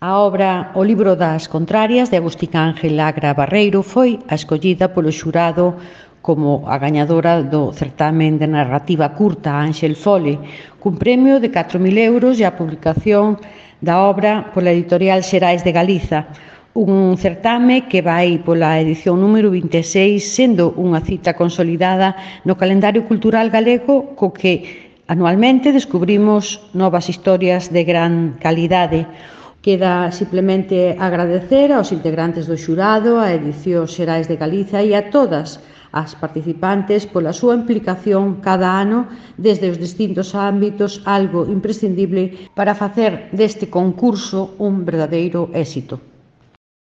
A obra O libro das contrarias, de Agustín Ángel Agra Barreiro, foi a escollida polo xurado como a gañadora do certamen de narrativa curta Ángel Fole, cun premio de 4.000 euros e a publicación da obra pola editorial Xerais de Galiza, un certame que vai pola edición número 26, sendo unha cita consolidada no calendario cultural galego co que anualmente descubrimos novas historias de gran calidade. Queda simplemente agradecer aos integrantes do xurado, á edición Xerais de Galiza e a todas as participantes pola súa implicación cada ano desde os distintos ámbitos, algo imprescindible para facer deste concurso un verdadeiro éxito.